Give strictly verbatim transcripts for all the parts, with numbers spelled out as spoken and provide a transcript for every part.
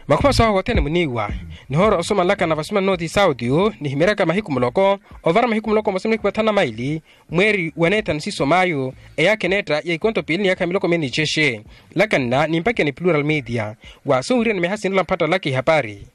Makhumaso ahu othene muniiwa nihoora osomanlakana vasumani nooti sauti. Nihimeryaka mahiku muloko ovara mahiku muloko mosa mihiku mathanu na maili mweeri wa neethanu siiso mayu eyaakha eneetta ya ikonto piili ni yaakha miloko miili ni cexe. Lakanna nimpakiya ni plural media waaso wiriya ni miha sinrola mpattalaka ihapari.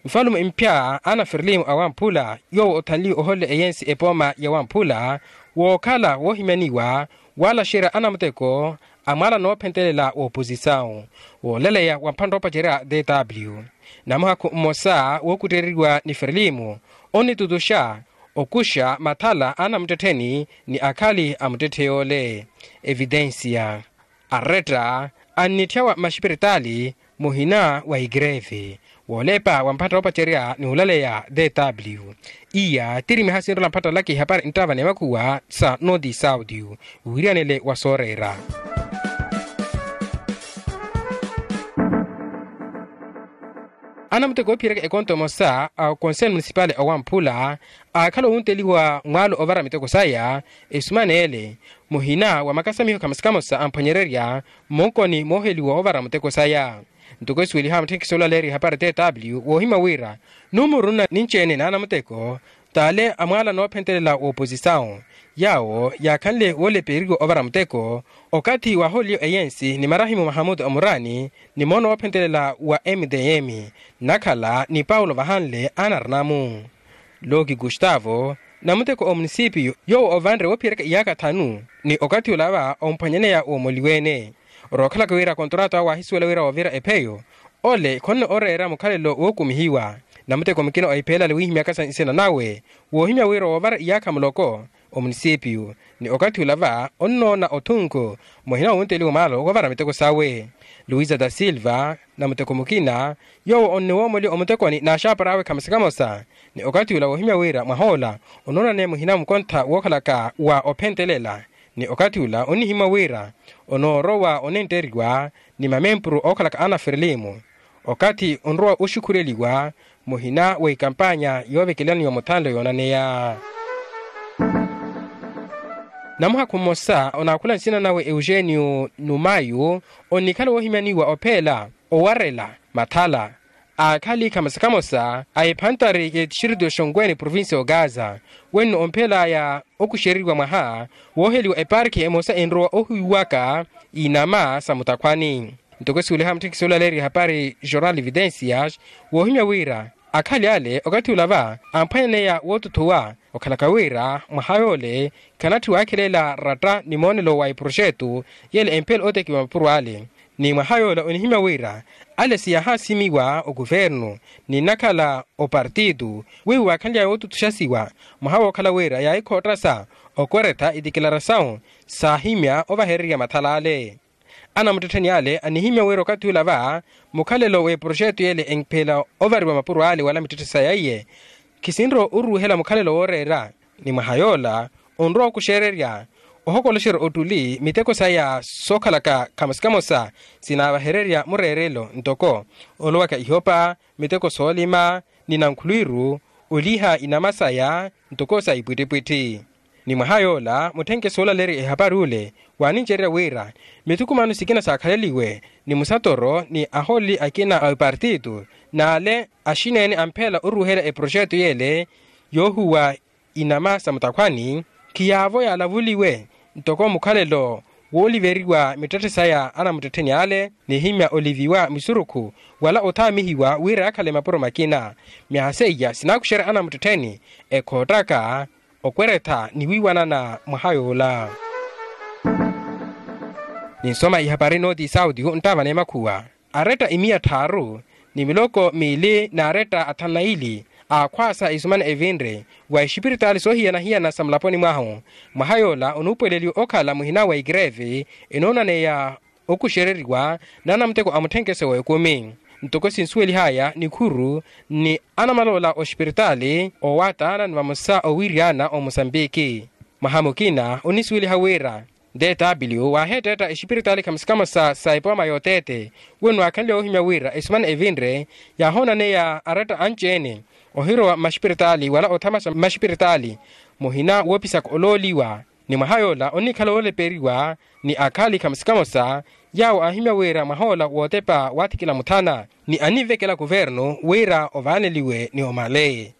Nfalume mphya ana ferlimu awamphula yoowo othanliwe oholela eyensi epooma ya wamphula wookhala woohimyaniwa waalaxerya anamuteko a mwaala noophentelela wooposisawu woolaleya wa mphantta oopacerya dw. Namuhakhu mmosa wookuttereriwa ni ferlimu onnitutuxa okuxa mathala a anamuttettheni ni akhali a muttetthe yoole. Evitensiya aretta annitthyawa mmaxipiritaali muhina wa igreve woolepa wa mpatha oopacerya ni olaleya dw. Iya tiri miha sinrola mpattalaka ihapari nttava ni makhuwa sa nooti sauti. Wiriyanele wa sooreera anamuteko oophiyereka ekonto emosa a konseyo munisipali owamphula aakhala owunteliwa mwaalo ovara miteko saya esumanele muhina wa makasamiho khamosa khamosa amphwanyererya mmonkoni mooheliwa ovara muteko saya. Ntoko esuweliha mutthenkisi olaleerya ihapari tw woohimya wira numuru nna ninci-ene n'anamuteko t'ale a mwaala noophentelela wooposisawu yaawo yaakhanle wooleperiwa ovara muteko okathi waahooliwa eyensi ni marahimu mahamutu omurani ni moono woophentelela wa mtm nnakhala ni paulo vahanle anarinamu. Looki kustavo namuteko omunisipiyu yoowo ovanre woophiyereka iyaakha thanu ni okathi olava omphwanyaneya woomoliwe-ene. Rookhalaka wira kontrato awe waahisuwela wira woovira epheyo ole khonno oreera mukhalelo wookumihiwa. Namuteko mukina ohiphela ale wiihimyaka sa nsina nawe woohimya wira woovara iyaakha muloko omunisipiyu ni okathi olava onnoona othunku muhina woonteliwa mwaalo woovara miteko sawe. Luisa da silva namuteko mukina yoowo onniwoomoliwa omutekoni n'axaapara awe khamosa khamosa ni okathi ula woohimya wira mwahoola onoonaneya muhina mukontha wookhalaka wa ophentelela ni okathi ula onnihimya wira onoorowa onentteriwa ni mamempuru ookhalaka ana ferlimu okathi onrowa oxukhureliwa muhina wa ikampanya yoovekelaniwa muthanlo yoonaneya. Namuhakhu mmosa onaakhula nsina nawe eugenio numayu onnikhala woohimyaniwa opheela owarela mathala aakhali khamosa khamosa a ephantari y'etixirito xonkwene provincia ogaza wenno omphelaya okuxereriwa mwaha wooheliwa eparki emosa enrowa ohiwaka inama sa mutakhwani. Ntoko esuweliha mutthikisi olaleerya ehapari jornal evidencias woohimya wira akhali ale okathi olava amphwanyaneya wootuthuwa okhalaka wira mwaha yoole khanatthiwa akhelela ratta ni moonelo wa eproxeto yele emphela ootekiwa mapuro ale. Ni mwaha yoola onihimya wira ale siyahaasimiwa okuvernu ni nnakhala opartito wiiwa waakhanly'aya wootutuxasiwa mwaha wookhala wira yaahikhottasa okweretha itikilarasawu saahimya ovahererya mathala ale. Anamuttettheni ale anihimya wira okathi ula va mukhalelo w'eproxeto yele emphela ovariwa mapuro ale wala mittetthe saya iye khisinrowa oruuhela mukhalelo wooreera ni mwaha yoola onrowa okuxererya ohokoloxerya ottuli miteko saya sookhalaka khamosa khamosa sinaavahererya mureerelo ntoko olowaka ihopa miteko soolima ni nankhulwiru oliha inama saya ntoko sa ipwittipwitthi. Ni mwaha yoola mutthenke soolaleerya ehapari ule waanincererya wira mithukumano sikina saakhaleliwe ni musatoro ni ahooleli akina a epartito n'ale axineene amphela oruuhela eproxeto yele yoohuwa inama sa mutakhwani khiyaavo yaalavuliwe ntoko mukhalelo wooliveriwa mittetthe saya anamuttettheni ale nihimya oliviwa misurukhu wala othaamihiwa wira yaakhale mapuro makina. Myaha seiya sinaakuxerya anamuttettheni ekhoottaka okweretha ni wiiwanana mwaha yoola. Ninsoma ihapari nooti sauti nttaavana emakhuwa aretta imiya tthaaru ni miloko miili n'aretta athanu na ili aakhwaasa isumana evinre wa exipiritaali soohiyana-hiyana sa mulaponi mwahu. Mwaha yoola onuupuweleliwa okhala muhina wa ikreve enoonaneya okuxereriwa n'anamuteko a mutthenkeso w'ekumi. Ntoko sinsuwelihaya nikhuru ni anamaloola oxipiritaali owataana ni vamosa owiiriyana omusambiki. Mwaha mukina onisuweliha wira dw waaheetteetta exipiritaali khamosa khamosa sa epooma y'oteete wenno waakhanle woohimya wira esumana evinre yaahoonaneya aretta anci-ene ohirowa mmaxipiritaali wala othamaxa mmaxipiritaali muhina woopisaka olooliwa Ni mwaha yoola onnikhala wooleperiwa ni akhali khamosa khamosa, yaawo aahimya wira mwah'ola wootepa waathikila muthana, ni anivekela kuvernu wira ovaaneliwe ni omale.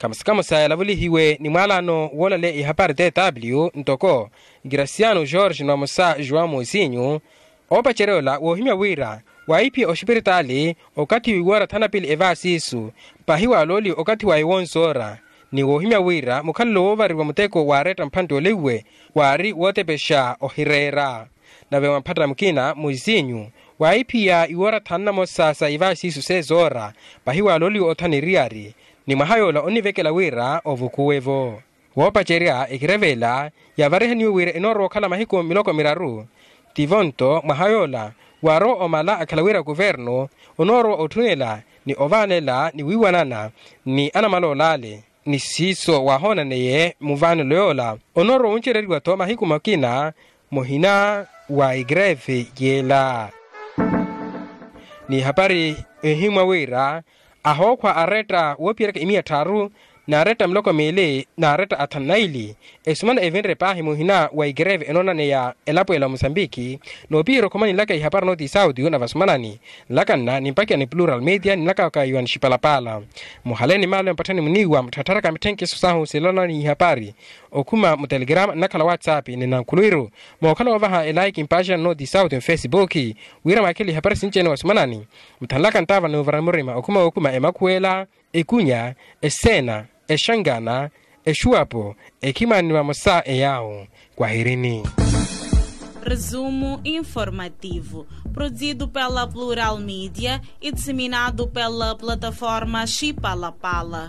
Khamosa khamosa yalavulihiwe ni mwaalano woolaleya ihapari tw ntoko graciano george ni vamosa joão moisinho. Oopacerya ola woohimya wira waahiphiya oxipiritaali okathi w'iwoora thanu na piili evaasiisu, pahi waalooliwe okathi wa iwonsoora, ni woohimya wira mukhalelo woovariwa muteko waaretta mphantte olewuwe waari wootepexa ohireera. Nave mwamphatta mukina muisinyu waahiphiya iwoora thanu na mosa sa ivaasiisu sezoora, pahi waalooliwe othana eriyari, ni mwaha yoola onnivekela wira ovukuwe-vo. Woopacerya ekireveela yaavarihaniwe wira enoorowa okhala mahiku miloko miraru, tivo nto mwaha yoola waarowa omala akhala wira kuvernu onoorowa otthunela ni ovaanela ni wiiwanana ni anamalool'ale. Ni siiso waahoonaneye muvaanelo yoola onoorowa wuncereriwa-tho mahiku makina muhina wa igreve yeela. Ni hapari ehimwa wira ahookhwa aretta woopiyeryaka imiya tthaaru n'aretta miloko miili n'aretta athanu na ili, esumana evinre paahi muhina wa igreve enoonaneya elapo ela musambiki. Noopiherya okhomani nlaka ihapari notisauti na vasumanani nlaka nna nimpakiya ni plural media ni nlaka kaiwa ni xipalapala. Muhale ni maalo ya mpatthani muniiwa mutthattharaka mitthenkeso sahu silola ni ihapari okhuma mutelegrama nnakhala whatsapp ni nankhuluwiru. Mookhala woovaha elaiki mpaaxana notisauti mufesipuki wira mwaakhelele ihapari sinci-ene wasumanani. Muthanlaka ntaava ni oovara murima okhuma wookhuma emakhuwela, ekunya, eseena, exangana, exuwapo, ekhimani vamosa eyaawo. Kwahirini. Resumo informativo produzido pela plural media e disseminado pela plataforma xipalapala.